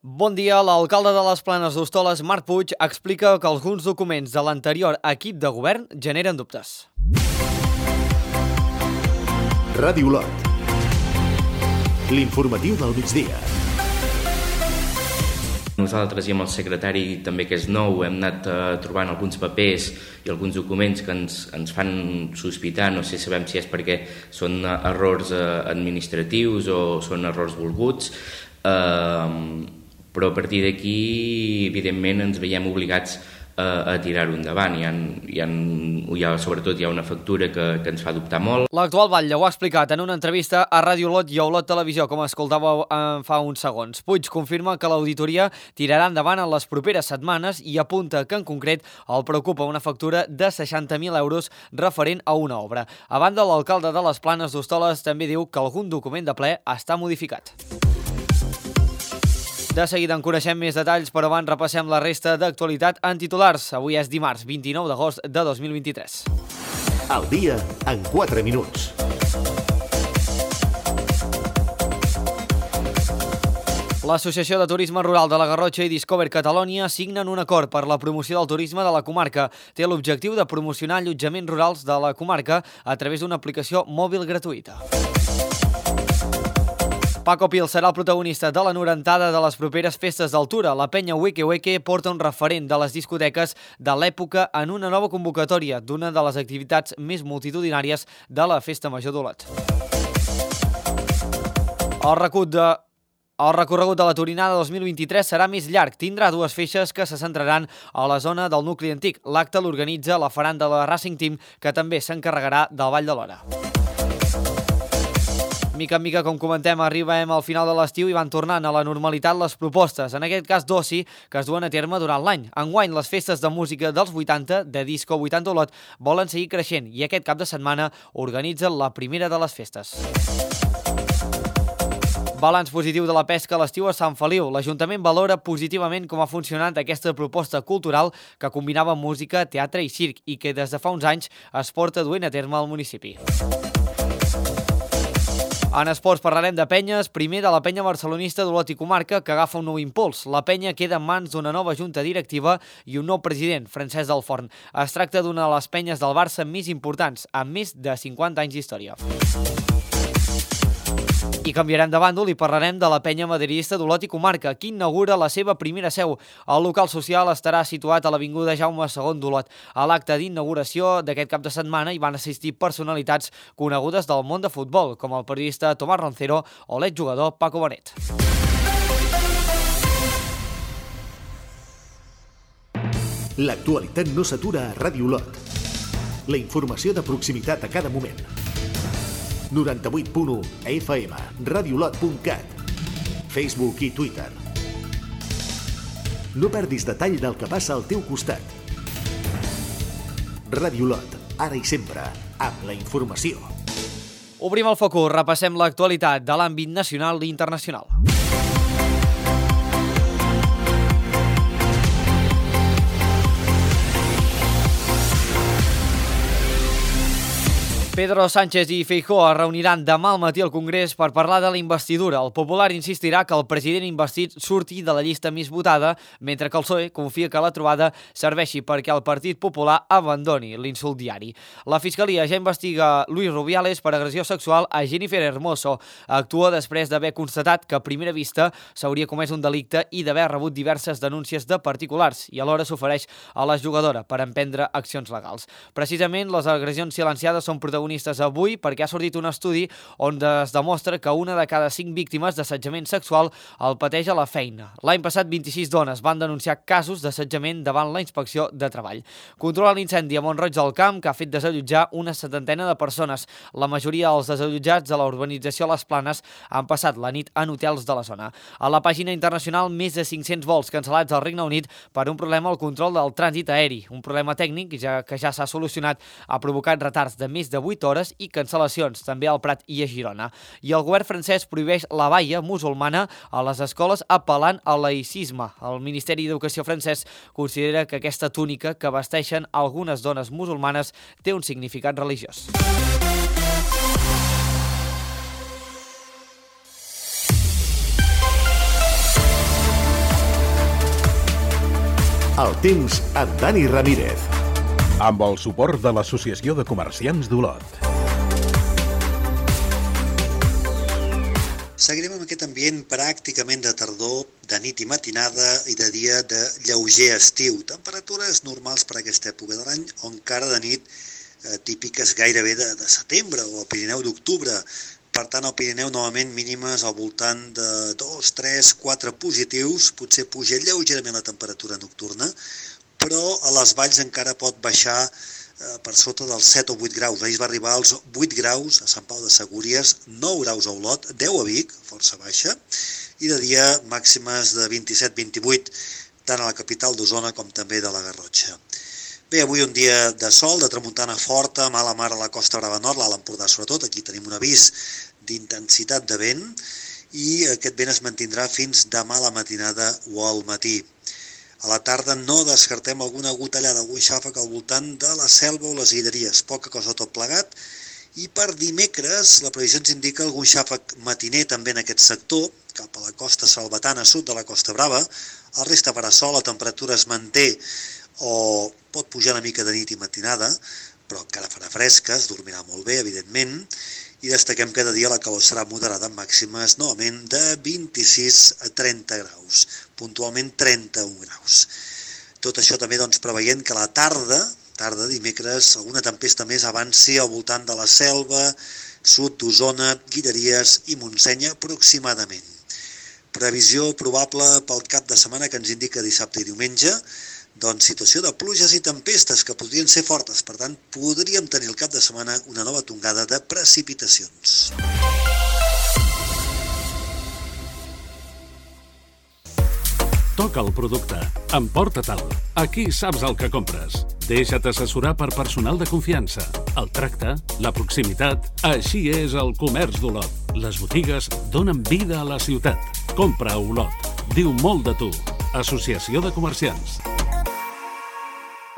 Bon dia. L'alcalde de les Planes d'Hostoles, Marc Puig, explica que alguns documents de l'anterior equip de govern generen dubtes. Ràdio Lot. L'informatiu del migdia. Nosaltres i amb el secretari també, que és nou, hem anat trobant alguns papers i alguns documents que ens fan sospitar. No sé, sabem si és perquè són errors administratius o són errors volguts, però a partir d'aquí, evidentment, ens veiem obligats a tirar-ho endavant. Sobretot hi ha una factura que ens fa dubtar molt. L'actual batlle ho ha explicat en una entrevista a Ràdio Lot i a Olot Televisió, com escoltàveu fa uns segons. Puig confirma que l'auditoria tirarà endavant en les properes setmanes i apunta que, en concret, el preocupa una factura de 60.000 euros referent a una obra. A banda, l'alcalde de les Planes d'Hostoles també diu que algun document de ple està modificat. De seguida en coneixem més detalls, però abans repassem la resta d'actualitat en titulars. Avui és dimarts, 29 d'agost de 2023. El dia en 4 minuts. L'Associació de Turisme Rural de la Garrotxa i Discover Catalonia signen un acord per la promoció del turisme de la comarca. Té l'objectiu de promocionar allotjaments rurals de la comarca a través d'una aplicació mòbil gratuïta. Paco Pil serà el protagonista de la 90a de les properes festes d'Altura. La penya Weke Weke porta un referent de les discoteques de l'època en una nova convocatòria d'una de les activitats més multitudinàries de la Festa Major d'Olot. El recorregut de la Turinada 2023 serà més llarg. Tindrà dues feixes que se centraran a la zona del nucli antic. L'acte l'organitza la Faranda de la Racing Team, que també s'encarregarà del Ball de l'Hora. Mica en mica, com comentem, arribem al final de l'estiu i van tornant a la normalitat les propostes, en aquest cas d'oci, que es duen a terme durant l'any. Enguany, les festes de música dels 80, de Disco 80 Olot, volen seguir creixent i aquest cap de setmana organitzen la primera de les festes. Balanç positiu de la pesca a l'estiu a Sant Feliu. L'Ajuntament valora positivament com ha funcionat aquesta proposta cultural que combinava música, teatre i circ i que des de fa uns anys es porta duent a terme al municipi. En esports parlarem de penyes, primer de la penya barcelonista d'Olot i Comarca, que agafa un nou impuls. La penya queda en mans d'una nova junta directiva i un nou president, Francesc del Forn. Es tracta d'una de les penyes del Barça més importants, amb més de 50 anys d'història. I canviarem de bàndol i parlarem de la penya madridista d'Olot i Comarca, que inaugura la seva primera seu. El local social estarà situat a l'avinguda Jaume II d'Olot. A l'acte d'inauguració d'aquest cap de setmana hi van assistir personalitats conegudes del món de futbol, com el periodista Tomàs Roncero o l'exjugador Paco Bonet. L'actualitat no s'atura a Ràdio Lot. La informació de proximitat a cada moment. 98.1 FM, radiolot.cat, Facebook i Twitter. No perdis detall del que passa al teu costat. Ràdio Lot, ara i sempre, amb la informació. Obrim el focus, repassem l'actualitat de l'àmbit nacional i internacional. Pedro Sánchez i Feijóo es reuniran demà al matí al Congrés per parlar de la investidura. El Popular insistirà que el president investit surti de la llista més votada, mentre que el PSOE confia que la trobada serveixi perquè el Partit Popular abandoni l'insult diari. La Fiscalia ja investiga Luis Rubiales per agressió sexual a Jennifer Hermoso. Actua després d'haver constatat que a primera vista s'hauria comès un delicte i d'haver rebut diverses denúncies de particulars i alhora s'ofereix a la jugadora per emprendre accions legals. Precisament, les agressions silenciades són protagonistes avui perquè ha sortit un estudi on es demostra que una de cada 5 víctimes d'assetjament sexual el pateix a la feina. L'any passat, 26 dones van denunciar casos d'assetjament davant la Inspecció de Treball. Controla l'incendi a Mont-roig del Camp, que ha fet desallotjar una 70ena de persones. La majoria dels desallotjats de la urbanització Les Planes han passat la nit en hotels de la zona. A la pàgina internacional, més de 500 vols cancel·lats al Regne Unit per un problema al control del trànsit aeri. Un problema tècnic que ja s'ha solucionat ha provocat retards de més de 8 hores i cancel·lacions també al Prat i a Girona. I el govern francès prohibeix la baia musulmana a les escoles apel·lant al laïcisme. El Ministeri d'Educació francès considera que aquesta túnica que vesteixen algunes dones musulmanes té un significat religiós. El temps amb Dani Ramírez. Amb el suport de l'Associació de Comerciants d'Olot. Seguirem amb aquest ambient pràcticament de tardor, de nit i matinada i de dia de lleuger estiu. Temperatures normals per aquesta època de l'any o encara de nit típiques gairebé de setembre o al Pirineu d'octubre. Per tant, al Pirineu novament mínimes al voltant de 2, 3, 4 positius. Potser puja lleugerament la temperatura nocturna, però a les valls encara pot baixar per sota dels 7 o 8 graus. Ahir va arribar als 8 graus a Sant Pau de Segúries, 9 graus a Olot, 10 a Vic, força baixa, i de dia màximes de 27-28, tant a la capital d'Osona com també de la Garrotxa. Bé, avui un dia de sol, de tramuntana forta, mala mar a la Costa Brava Nord, l'Alt Empordà sobretot, aquí tenim un avís d'intensitat de vent, i aquest vent es mantindrà fins demà a la matinada o al matí. A la tarda no descartem alguna gotellada, algun xàfec al voltant de la Selva o les Guilleries, poca cosa tot plegat, i per dimecres la previsió ens indica algun xàfec matiner també en aquest sector, cap a la costa salvatana sud de la Costa Brava. El resta farà sol, la temperatura es manté o pot pujar una mica de nit i matinada, però encara farà fresca, es dormirà molt bé, evidentment, i destaquem que de dia la calor serà moderada amb màximes novament de 26 a 30 graus, puntualment 31 graus. Tot això també preveient que a la tarda dimecres, alguna tempesta més avanci al voltant de la Selva, sud d'Osona, Guilleries i Montseny aproximadament. Previsió probable pel cap de setmana que ens indica dissabte i diumenge, doncs situació de pluges i tempestes que podrien ser fortes, per tant podríem tenir el cap de setmana una nova tongada de precipitacions. Toca el producte, emporta-te'l, aquí saps el que compres. Deixa't assessorar per personal de confiança. El tracte, la proximitat, així és el comerç d'Olot. Les botigues donen vida a la ciutat. Compra a Olot. Diu molt de tu. Associació de Comerciants.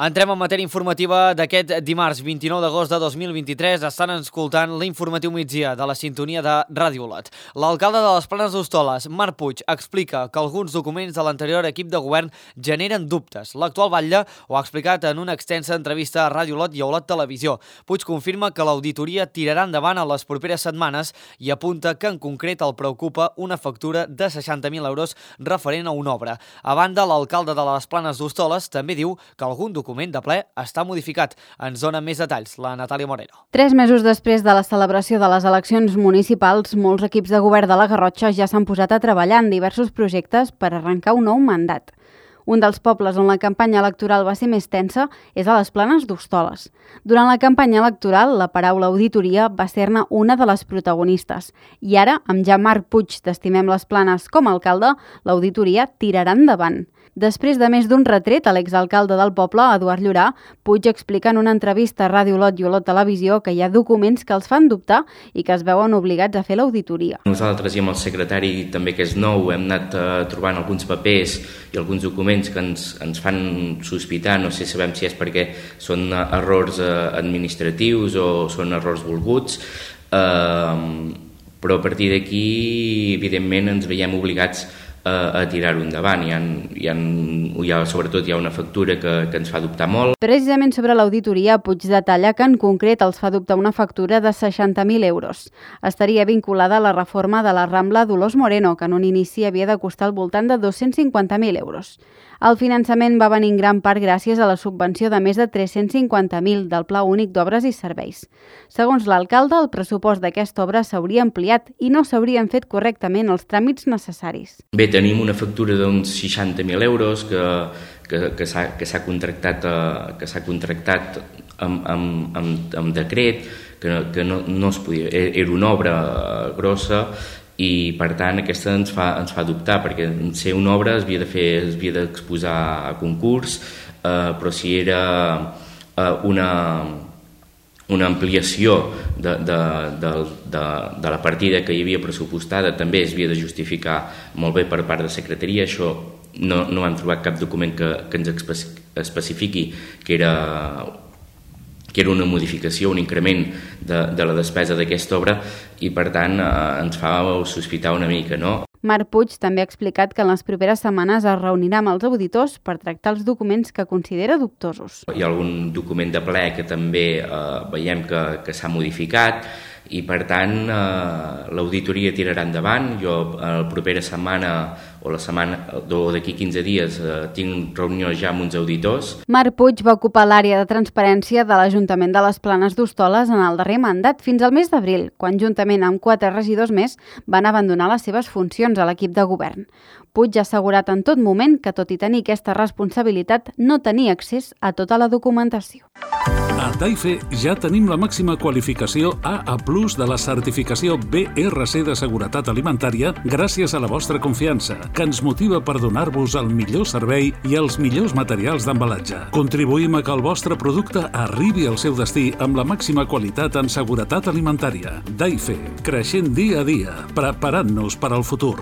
Entrem en matèria informativa d'aquest dimarts 29 d'agost de 2023. Estan escoltant l'informatiu migdia de la sintonia de Ràdio Olot. L'alcalde de les Planes d'Hostoles, Marc Puig, explica que alguns documents de l'anterior equip de govern generen dubtes. L'actual batlle ho ha explicat en una extensa entrevista a Ràdio Olot i a Olot Televisió. Puig confirma que l'auditoria tirarà endavant a les properes setmanes i apunta que en concret el preocupa una factura de 60.000 euros referent a una obra. A banda, l'alcalde de les Planes d'Hostoles també diu que algun document de ple està modificat. Ens dona més detalls la Natàlia Moreno. 3 mesos després de la celebració de les eleccions municipals, molts equips de govern de la Garrotxa ja s'han posat a treballar en diversos projectes per arrencar un nou mandat. Un dels pobles on la campanya electoral va ser més tensa és a les Planes d'Hostoles. Durant la campanya electoral, la paraula auditoria va ser-ne una de les protagonistes. I ara, amb ja Marc Puig d'Estimem les Planes com a alcalde, l'auditoria tirarà endavant. Després de més d'un retret a l'exalcalde del poble, Eduard Llorà, Puig explica en una entrevista a Ràdio Olot i Olot Televisió que hi ha documents que els fan dubtar i que es veuen obligats a fer l'auditoria. Nosaltres i amb el secretari també, que és nou, hem anat trobant alguns papers i alguns documents que ens fan sospitar, no sé, sabem si és perquè són errors administratius o són errors volguts, però a partir d'aquí, evidentment, ens veiem obligats a tirar-ho endavant. Sobretot hi ha una factura que ens fa dubtar molt. Precisament sobre l'auditoria, Puig detalla que en concret els fa dubtar una factura de 60.000 euros. Estaria vinculada a la reforma de la Rambla Dolors Moreno, que en un inici havia de costar al voltant de 250.000 euros. El finançament va venir en gran part gràcies a la subvenció de més de 350.000 del Pla Únic d'Obres i Serveis. Segons l'alcalde, el pressupost d'aquesta obra s'hauria ampliat i no s'haurien fet correctament els tràmits necessaris. Bé, tenim una factura d'uns 60.000 euros que s'ha contractat amb decret, que no es podia, era una obra grossa, i per tant aquesta ens fa dubtar, perquè ser una obra es havia d'exposar a concurs, però si era una ampliació de la partida que hi havia pressupostada, també es havia de justificar molt bé per part de secretaria. Això no hem trobat cap document que ens especifiqui que era una modificació, un increment de la despesa d'aquesta obra, i per tant ens fa sospitar una mica, no? Marc Puig també ha explicat que en les properes setmanes es reunirà amb els auditors per tractar els documents que considera dubtosos. Hi ha algun document de ple que també veiem que s'ha modificat i, per tant, l'auditoria tirarà endavant. Jo la propera setmana o la setmana d'aquí 15 dies tinc reunió ja amb uns auditors. Marc Puig va ocupar l'àrea de transparència de l'Ajuntament de les Planes d'Hostoles en el darrer mandat fins al mes d'abril, quan juntament amb 4 regidors més van abandonar les seves funcions a l'equip de govern. Puig ha assegurat en tot moment que, tot i tenir aquesta responsabilitat, no tenia accés a tota la documentació. A Taife ja tenim la màxima qualificació AA+ de la certificació BRC de Seguretat Alimentària gràcies a la vostra confiança, que ens motiva per donar-vos el millor servei i els millors materials d'embalatge. Contribuïm a que el vostre producte arribi al seu destí amb la màxima qualitat en seguretat alimentària. Taife, creixent dia a dia, preparant-nos per al futur.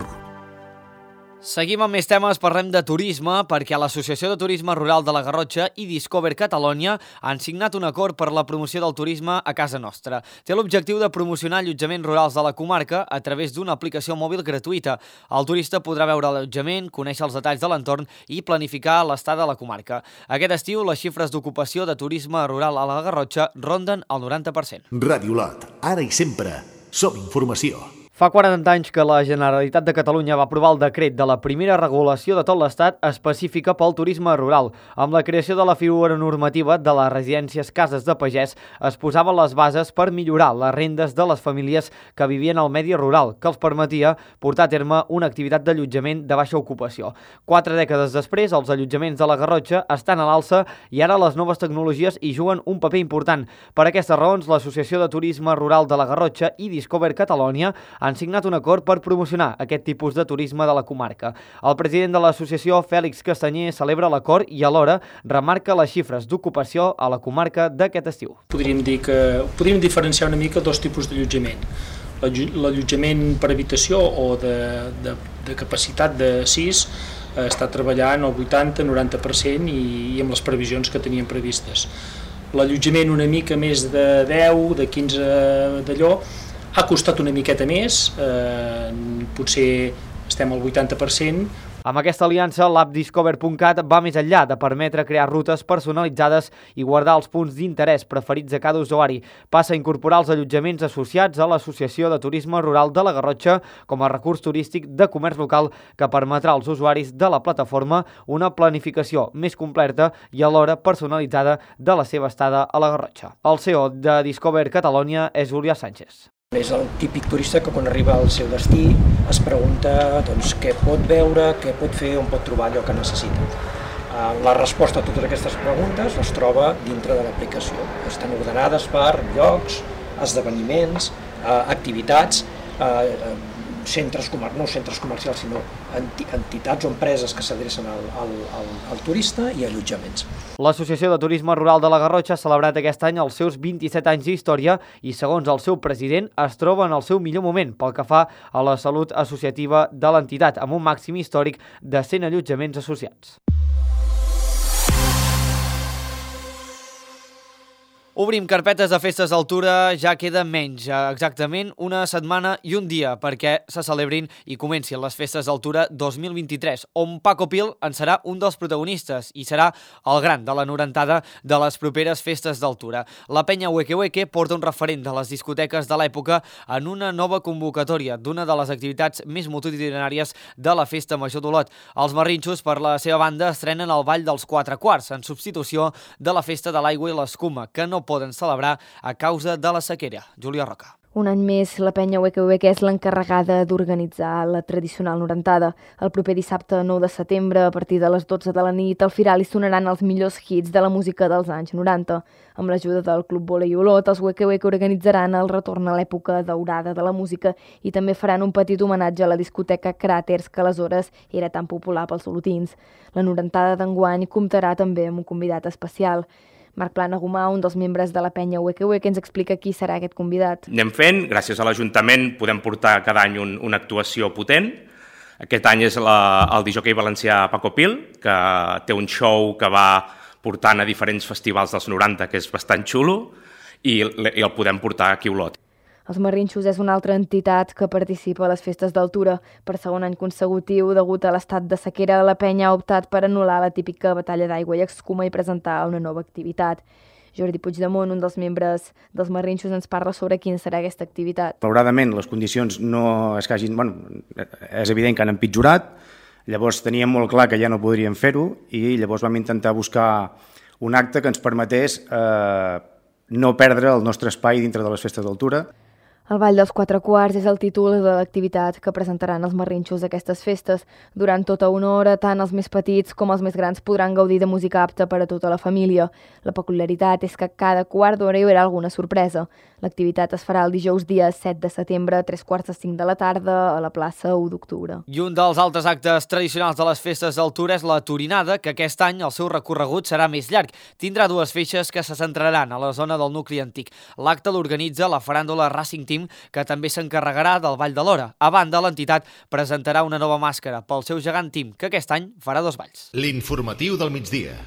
Seguim amb més temes, parlem de turisme, perquè l'Associació de Turisme Rural de la Garrotxa i Discover Catalonia han signat un acord per la promoció del turisme a casa nostra. Té l'objectiu de promocionar allotjaments rurals de la comarca a través d'una aplicació mòbil gratuïta. El turista podrà veure l'allotjament, conèixer els detalls de l'entorn i planificar l'estada a la comarca. Aquest estiu, les xifres d'ocupació de turisme rural a la Garrotxa ronden el 90%. Ràdio Lot, ara i sempre, som informació. Fa 40 anys que la Generalitat de Catalunya va aprovar el decret de la primera regulació de tot l'Estat específica pel turisme rural. Amb la creació de la figura normativa de les residències cases de pagès es posaven les bases per millorar les rendes de les famílies que vivien al medi rural, que els permetia portar a terme una activitat d'allotjament de baixa ocupació. 4 dècades després, els allotjaments de la Garrotxa estan a l'alça i ara les noves tecnologies hi juguen un paper important. Per aquestes raons, l'Associació de Turisme Rural de la Garrotxa i Discover Catalonia han signat un acord per promocionar aquest tipus de turisme de la comarca. El president de l'associació, Fèlix Castanyer, celebra l'acord i alhora remarca les xifres d'ocupació a la comarca d'aquest estiu. Podríem diferenciar una mica dos tipus d'allotjament. L'allotjament per habitació o de capacitat de 6 està treballant al 80-90% i amb les previsions que teníem previstes. L'allotjament una mica més de 10, de 15 d'allò, ha costat una miqueta més, potser estem al 80%. Amb aquesta aliança, l'app Discover.cat va més enllà de permetre crear rutes personalitzades i guardar els punts d'interès preferits a cada usuari. Passa a incorporar els allotjaments associats a l'Associació de Turisme Rural de la Garrotxa com a recurs turístic de comerç local que permetrà als usuaris de la plataforma una planificació més completa i alhora personalitzada de la seva estada a la Garrotxa. El CEO de Discover Catalonia és Julià Sánchez. És el típic turista que quan arriba al seu destí es pregunta què pot veure, què pot fer, on pot trobar allò que necessita. La resposta a totes aquestes preguntes es troba dintre de l'aplicació. Estan ordenades per llocs, esdeveniments, activitats, no centres comercials, sinó entitats o empreses que s'adrecen al turista i allotjaments. L'Associació de Turisme Rural de la Garrotxa ha celebrat aquest any els seus 27 anys d'història i, segons el seu president, es troba en el seu millor moment pel que fa a la salut associativa de l'entitat, amb un màxim històric de 100 allotjaments associats. Obrim carpetes de festes d'altura, ja queda menys, exactament una setmana i un dia perquè se celebrin i comencin les festes d'altura 2023, on Paco Pil en serà un dels protagonistes i serà el gran de la norentada de les properes festes d'altura. La penya Hueque Hueque porta un referent de les discoteques de l'època en una nova convocatòria d'una de les activitats més multitudinàries de la Festa Major d'Olot. Els marrinxos, per la seva banda, estrenen el Ball dels 4 quarts, en substitució de la Festa de l'Aigua i l'Escuma, que no poden celebrar a causa de la sequera. Júlia Roca. Un any més, la penya Hueque Hueque és l'encarregada d'organitzar la tradicional norentada. El proper dissabte 9 de setembre, a partir de les 12 de la nit, al Firal hi sonaran els millors hits de la música dels anys 90. Amb l'ajuda del Club Volei Olot, els Hueque Hueque organitzaran el retorn a l'època daurada de la música i també faran un petit homenatge a la discoteca Cràters, que aleshores era tan popular pels olotins. La norentada d'enguany comptarà també amb un convidat especial. Marc Planagumà, un dels membres de la penya Hueque Hueque, ens explica qui serà aquest convidat. Anem fent, gràcies a l'Ajuntament podem portar cada any una actuació potent. Aquest any és el discjòquei valencià Paco Pil, que té un show que va portant a diferents festivals dels 90, que és bastant xulo, i el podem portar aquí a Olot. Els Marrinxos és una altra entitat que participa a les festes d'altura. Per segon any consecutiu, degut a l'estat de sequera, la penya ha optat per anul·lar la típica batalla d'aigua i escuma i presentar una nova activitat. Jordi Puigdemont, un dels membres dels Marrinxos, ens parla sobre quina serà aquesta activitat. Malauradament, les condicions no és que hagin... és evident que han empitjorat, llavors teníem molt clar que ja no podríem fer-ho i llavors vam intentar buscar un acte que ens permetés no perdre el nostre espai dintre de les festes d'altura. El Ball dels Quatre Quarts és el títol de l'activitat que presentaran els Marrinxos d'aquestes festes. Durant tota una hora, tant els més petits com els més grans podran gaudir de música apta per a tota la família. La peculiaritat és que cada quart d'hora hi haurà alguna sorpresa. L'activitat es farà el dijous dia 7 de setembre a 3:45 de la tarda a la plaça 1 d'octubre. I un dels altres actes tradicionals de les festes d'altura és la Torinada, que aquest any el seu recorregut serà més llarg. Tindrà dues feixes que se centraran a la zona del nucli antic. L'acte l'organitza la faràndula Racing Team, que també s'encarregarà del Ball de l'Hora. A banda, l'entitat presentarà una nova màscara pel seu gegant Team, que aquest any farà 2 balls. L'informatiu del migdia.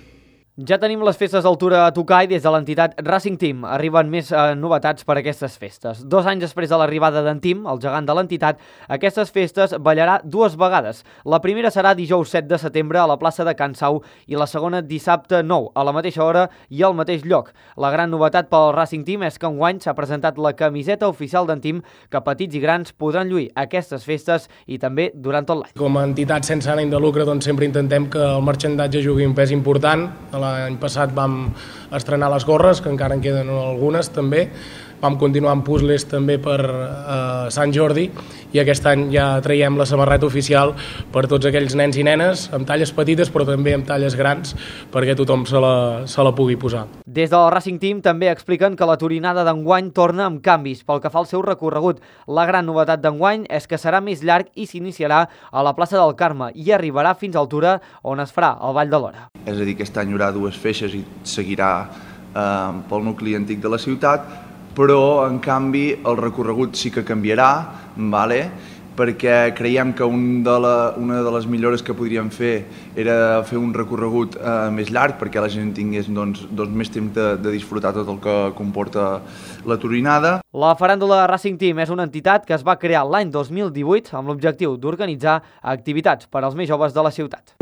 Ja tenim les festes d'altura a tocar i des de l'entitat Racing Team arriben més novetats per a aquestes festes. 2 anys després de l'arribada d'en Team, el gegant de l'entitat, aquestes festes ballarà 2 vegades. La primera serà dijous 7 de setembre a la plaça de Can Sau i la segona dissabte 9, a la mateixa hora i al mateix lloc. La gran novetat pel Racing Team és que enguany s'ha presentat la camiseta oficial d'en Team, que petits i grans podran lluir aquestes festes i també durant tot l'any. Com a entitat sense ànim de lucre, doncs sempre intentem que el marxandatge jugui un pes important. L'any passat vam estrenar les gorres, que encara en queden algunes també. Vam continuar amb puzzles també per Sant Jordi i aquest any ja traiem la samarreta oficial per tots aquells nens i nenes amb talles petites però també amb talles grans perquè tothom se la pugui posar. Des del Racing Team també expliquen que la Torinada d'enguany torna amb canvis pel que fa al seu recorregut. La gran novetat d'enguany és que serà més llarg i s'iniciarà a la plaça del Carme i arribarà fins a Altura, on es farà el Ball de l'Hora. És a dir, aquest any hi haurà 2 feixes i seguirà pel nucli antic de la ciutat, però en canvi el recorregut sí que canviarà, perquè creiem que una de les millores que podríem fer era fer un recorregut més llarg perquè la gent tingués més temps de disfrutar tot el que comporta la Torinada. La faràndula Racing Team és una entitat que es va crear l'any 2018 amb l'objectiu d'organitzar activitats per als més joves de la ciutat.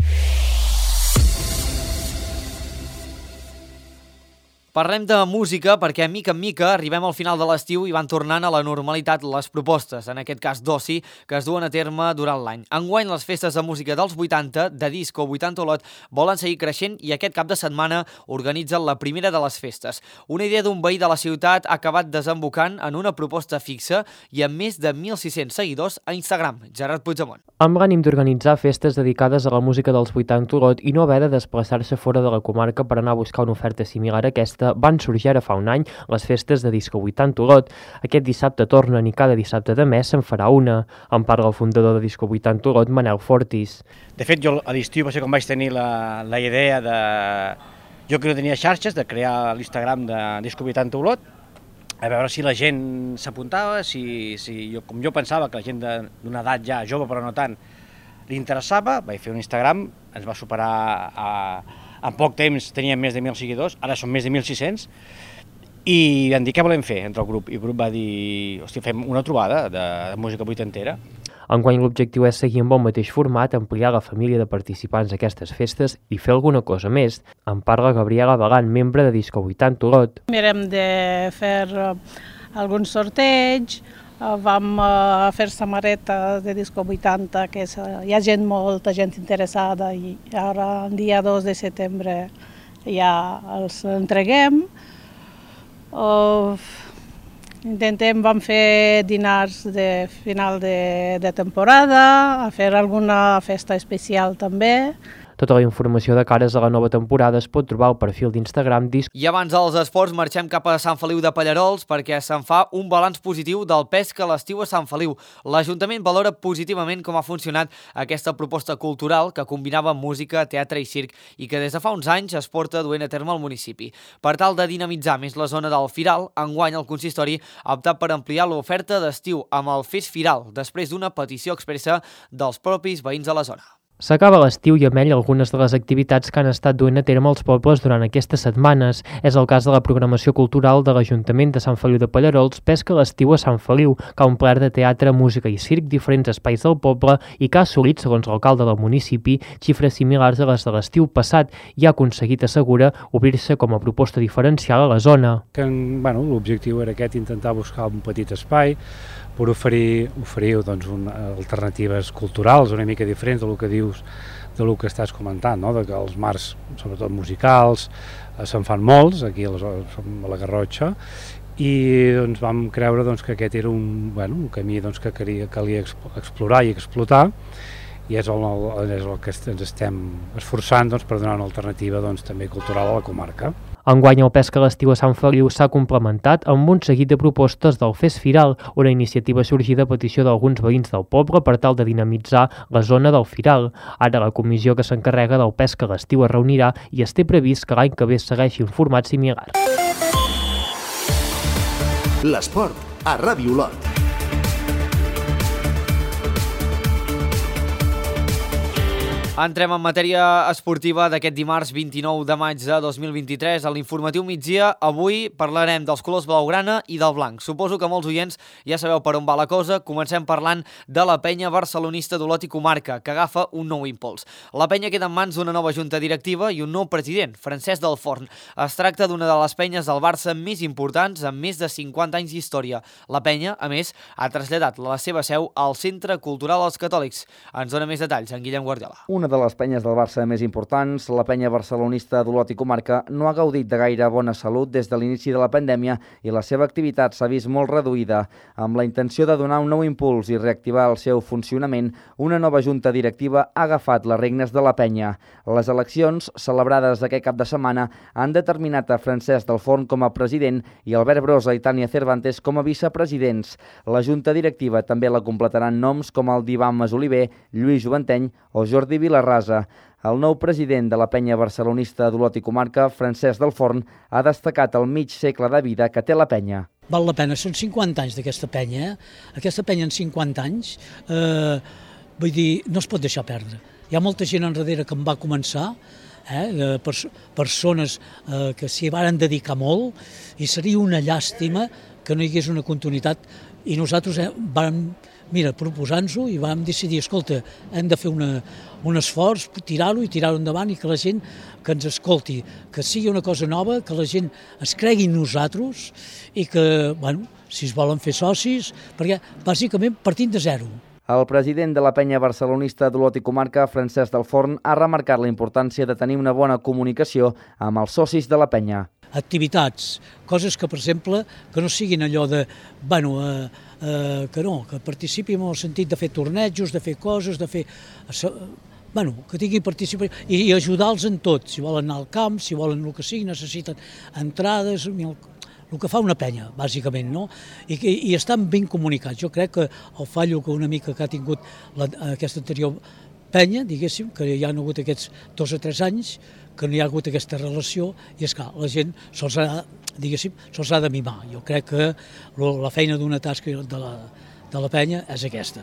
Parlem de música perquè mica en mica arribem al final de l'estiu i van tornant a la normalitat les propostes, en aquest cas d'oci, que es duen a terme durant l'any. Enguany les festes de música dels 80, de disco 80 Olot, volen seguir creixent i aquest cap de setmana organitzen la primera de les festes. Una idea d'un veí de la ciutat ha acabat desembocant en una proposta fixa i amb més de 1.600 seguidors a Instagram. Gerard Puigdemont. Amb l'ànim d'organitzar festes dedicades a la música dels 80 Olot i no haver de desplaçar-se fora de la comarca per anar a buscar una oferta similar a aquesta, van sorgir ara fa un any les festes de Disco 80 Olot. Aquest dissabte tornen i cada dissabte de mes se'n farà una. En parla el fundador de Disco 80 Olot, Manel Fortis. De fet, jo a l'estiu va ser quan vaig tenir la idea de... Jo que no tenia xarxes, de crear l'Instagram de Disco 80 Olot, a veure si la gent s'apuntava, com jo pensava que la gent d'una edat ja jove però no tant li interessava, vaig fer un Instagram, ens va superar en poc temps teníem més de 1.000 seguidors, ara són més de 1.600, i vam dir què volem fer entre el grup, i el grup va dir, hòstia, fem una trobada de música vuitantera. Enguany l'objectiu és seguir amb el mateix format, ampliar la família de participants a aquestes festes i fer alguna cosa més. En parla Gabriela Bagan, membre de Disco 80 Olot. Mirem de fer algun sorteig, vam fer samarretes de Disco 80, que hi ha molta gent interessada i ara el dia 2 de setembre ja els entreguem. Vam fer dinars de final de temporada, a fer alguna festa especial també. Tota la informació de cares a la nova temporada es pot trobar al perfil d'Instagram Disc. I abans dels esports marxem cap a Sant Feliu de Pallarols perquè se'n fa un balanç positiu del pes que l'estiu a Sant Feliu. L'Ajuntament valora positivament com ha funcionat aquesta proposta cultural que combinava música, teatre i circ i que des de fa uns anys es porta duent a terme al municipi. Per tal de dinamitzar més la zona del Firal, enguany el consistori ha optat per ampliar l'oferta d'estiu amb el Fes Firal després d'una petició expressa dels propis veïns de la zona. S'acaba l'estiu i amb ell algunes de les activitats que han estat duent a terme els pobles durant aquestes setmanes. És el cas de la programació cultural de l'Ajuntament de Sant Feliu de Pallerols, Pesca a l'estiu a Sant Feliu, que ha omplert de teatre, música i circ diferents espais del poble i que ha assolit, segons l'alcalde del municipi, xifres similars a les de l'estiu passat i ha aconseguit, assegura, obrir-se com a proposta diferencial a la zona. L'objectiu era aquest, intentar buscar un petit espai per oferir alternatives culturals una mica diferents del que dius, del que estàs comentant, de que els marcs, sobretot musicals, se'n fan molts, aquí a la Garrotxa, i vam creure que aquest era un camí que calia explorar i explotar, i és el que ens estem esforçant per donar una alternativa també cultural a la comarca. Enguany el Pesca a l'estiu a Sant Feliu s'ha complementat amb un seguit de propostes del Fes Firal, una iniciativa sorgida a petició d'alguns veïns del poble per tal de dinamitzar la zona del Firal. Ara la comissió que s'encarrega del Pesca a l'estiu es reunirà i es té previst que l'any que ve segueixi un format similar. L'esport a Ràdio Olot. Entrem en matèria esportiva d'aquest dimarts 29 de maig de 2023. A l'informatiu migdia, avui parlarem dels colors blaugrana i del blanc. Suposo que molts oients ja sabeu per on va la cosa. Comencem parlant de la penya barcelonista d'Olot i comarca, que agafa un nou impuls. La penya queda en mans d'una nova junta directiva i un nou president, Francesc del Forn. Es tracta d'una de les penyes del Barça més importants amb més de 50 anys d'història. La penya, a més, ha traslladat la seva seu al Centre Cultural Els Catòlics. Ens dona més detalls en Guillem Guardiola. Una de les penyes del Barça més importants, la penya barcelonista d'Olot i comarca, no ha gaudit de gaire bona salut des de l'inici de la pandèmia i la seva activitat s'ha vist molt reduïda. Amb la intenció de donar un nou impuls i reactivar el seu funcionament, una nova junta directiva ha agafat les regnes de la penya. Les eleccions, celebrades aquest cap de setmana, han determinat a Francesc del Forn com a president i Albert Brosa i Tània Cervantes com a vicepresidents. La junta directiva també la completaran noms com el d'Ivan Masoliver, Lluís Joventeny o Jordi Vilarrasa. El nou president de la penya barcelonista d'Olot i comarca, Francesc del Forn, ha destacat el mig segle de vida que té la penya. Val la pena, són 50 anys d'aquesta penya. Aquesta penya en 50 anys, vull dir, no es pot deixar perdre. Hi ha molta gent enrere que em va començar, persones que s'hi van dedicar molt, i seria una llàstima que no hi hagués una continuïtat. I nosaltres vam proposar-nos-ho i vam decidir, escolta, hem de fer un esforç, tirar-ho endavant i que la gent que ens escolti, que sigui una cosa nova, que la gent es cregui en nosaltres i que, si es volen fer socis, perquè bàsicament partint de zero. El president de la penya barcelonista d'Olot i comarca, Francesc del Forn, ha remarcat la importància de tenir una bona comunicació amb els socis de la penya. Activitats, coses que, per exemple, que no siguin allò de, que participin en el sentit de fer tornejos, de fer coses, de fer... que tinguin participació i ajudar-los en tot, si volen anar al camp, si volen el que sigui, necessiten entrades, el que fa una penya, bàsicament, no? I estan ben comunicats. Jo crec que el fallo que una mica que ha tingut aquesta anterior penya, diguéssim, que hi ha hagut aquests 2 o 3 anys, que no hi ha hagut aquesta relació, i és clar, la gent se'ls ha de mimar. Jo crec que la feina d'una tasca de la penya és aquesta.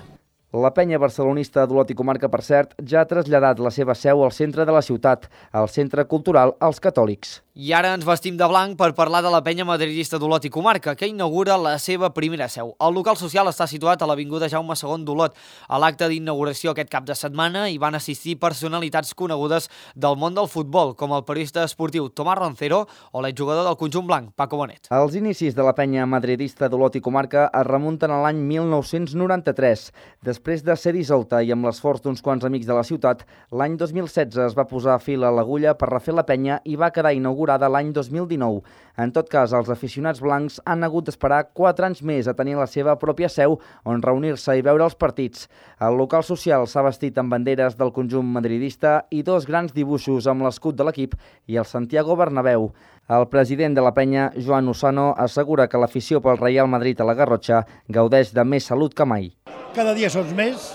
La penya barcelonista d'Olot i comarca, per cert, ja ha traslladat la seva seu al centre de la ciutat, al Centre Cultural Els Catòlics. I ara ens vestim de blanc per parlar de la penya madridista d'Olot i comarca, que inaugura la seva primera seu. El local social està situat a l'Avinguda Jaume II d'Olot. A l'acte d'inauguració aquest cap de setmana hi van assistir personalitats conegudes del món del futbol, com el periodista esportiu Tomàs Roncero o l'exjugador del conjunt blanc, Paco Bonet. Els inicis de la penya madridista d'Olot i comarca es remunten a l'any 1993. Després de ser dissolta i amb l'esforç d'uns quants amics de la ciutat, l'any 2016 es va posar fil a l'agulla per refer la penya i va quedar inaugurada l'any 2019. En tot cas, els aficionats blancs han hagut d'esperar 4 anys més a tenir la seva pròpia seu on reunir-se i veure els partits. El local social s'ha vestit amb banderes del conjunt madridista i 2 grans dibuixos amb l'escut de l'equip i el Santiago Bernabéu. El president de la penya, Joan Usano, assegura que l'afició pel Real Madrid a la Garrotxa gaudeix de més salut que mai. Cada dia som més,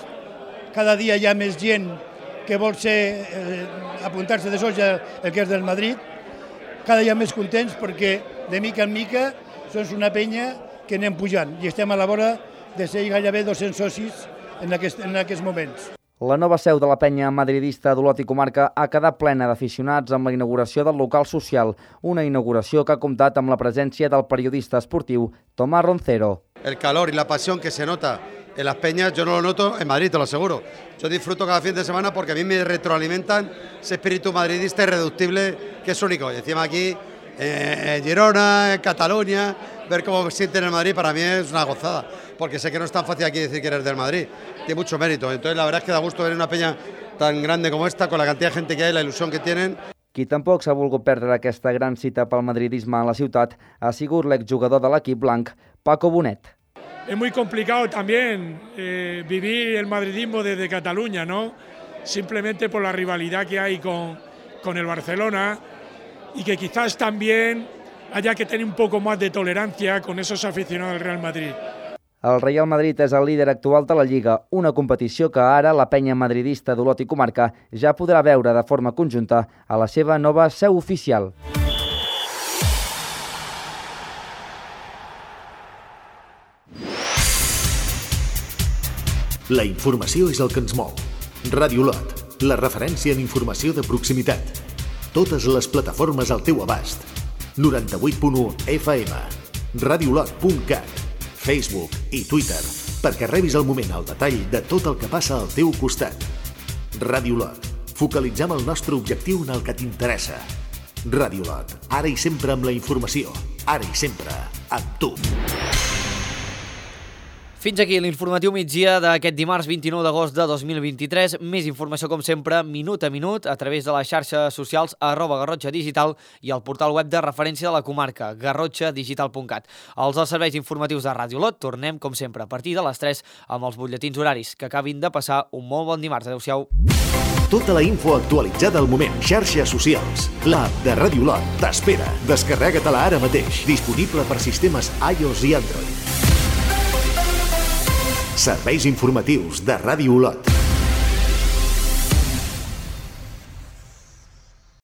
cada dia hi ha més gent que vol apuntar-se de soja el que és del Madrid, cada dia més contents perquè de mica en mica som una penya que anem pujant i estem a la vora de ser gairebé 200 socis en aquests moments. La nova seu de la penya madridista d'Olot i Comarca ha quedat plena d'aficionats amb la inauguració del local social, una inauguració que ha comptat amb la presència del periodista esportiu Tomás Roncero. El calor y la pasión que se nota en las peñas, yo no lo noto en Madrid, te lo aseguro. Yo disfruto cada fin de semana porque a mí me retroalimentan ese espíritu madridista irreductible que es único. Y encima aquí, en Girona, en Cataluña, ver cómo me sienten en Madrid para mí es una gozada, porque sé que no es tan fácil aquí decir que eres del Madrid, tiene mucho mérito. Entonces la verdad es que da gusto ver una peña tan grande como esta, con la cantidad de gente que hay, la ilusión que tienen. Qui tampoc s'ha volgut perdre aquesta gran cita pel madridisme a la ciutat ha sigut l'exjugador de l'equip blanc, Paco Bonet. Es muy complicado también vivir el madridismo desde Cataluña, ¿no? Simplemente por la rivalidad que hay con el Barcelona y que quizás también haya que tener un poco más de tolerancia con esos aficionados del Real Madrid. El Real Madrid és el líder actual de la Lliga, una competició que ara la penya madridista d'Olot i Comarca ja podrà veure de forma conjunta a la seva nova seu oficial. La informació és el que ens mou. Ràdio Olot, la referència en informació de proximitat. Totes les plataformes al teu abast. 98.1 FM, radiolot.cat, Facebook i Twitter, perquè rebis al moment el detall de tot el que passa al teu costat. Ràdio Olot, focalitzem el nostre objectiu en el que t'interessa. Ràdio Olot, ara i sempre amb la informació, ara i sempre amb tu. Fins aquí l'informatiu migdia d'aquest dimarts 29 d'agost de 2023. Més informació, com sempre, minut a minut, a través de les xarxes socials @Garrotxa Digital i el portal web de referència de la comarca, garrotxadigital.cat. Els serveis informatius de Ràdio Olot tornem, com sempre, a partir de les 3 amb els butlletins horaris. Que acabin de passar un molt bon dimarts. Adéu-siau. Tota la info actualitzada al moment. Xarxes socials. L'app de Ràdio Olot t'espera. Descarrega-te-la ara mateix. Disponible per sistemes iOS i Android. Serveis informatius de Ràdio Olot.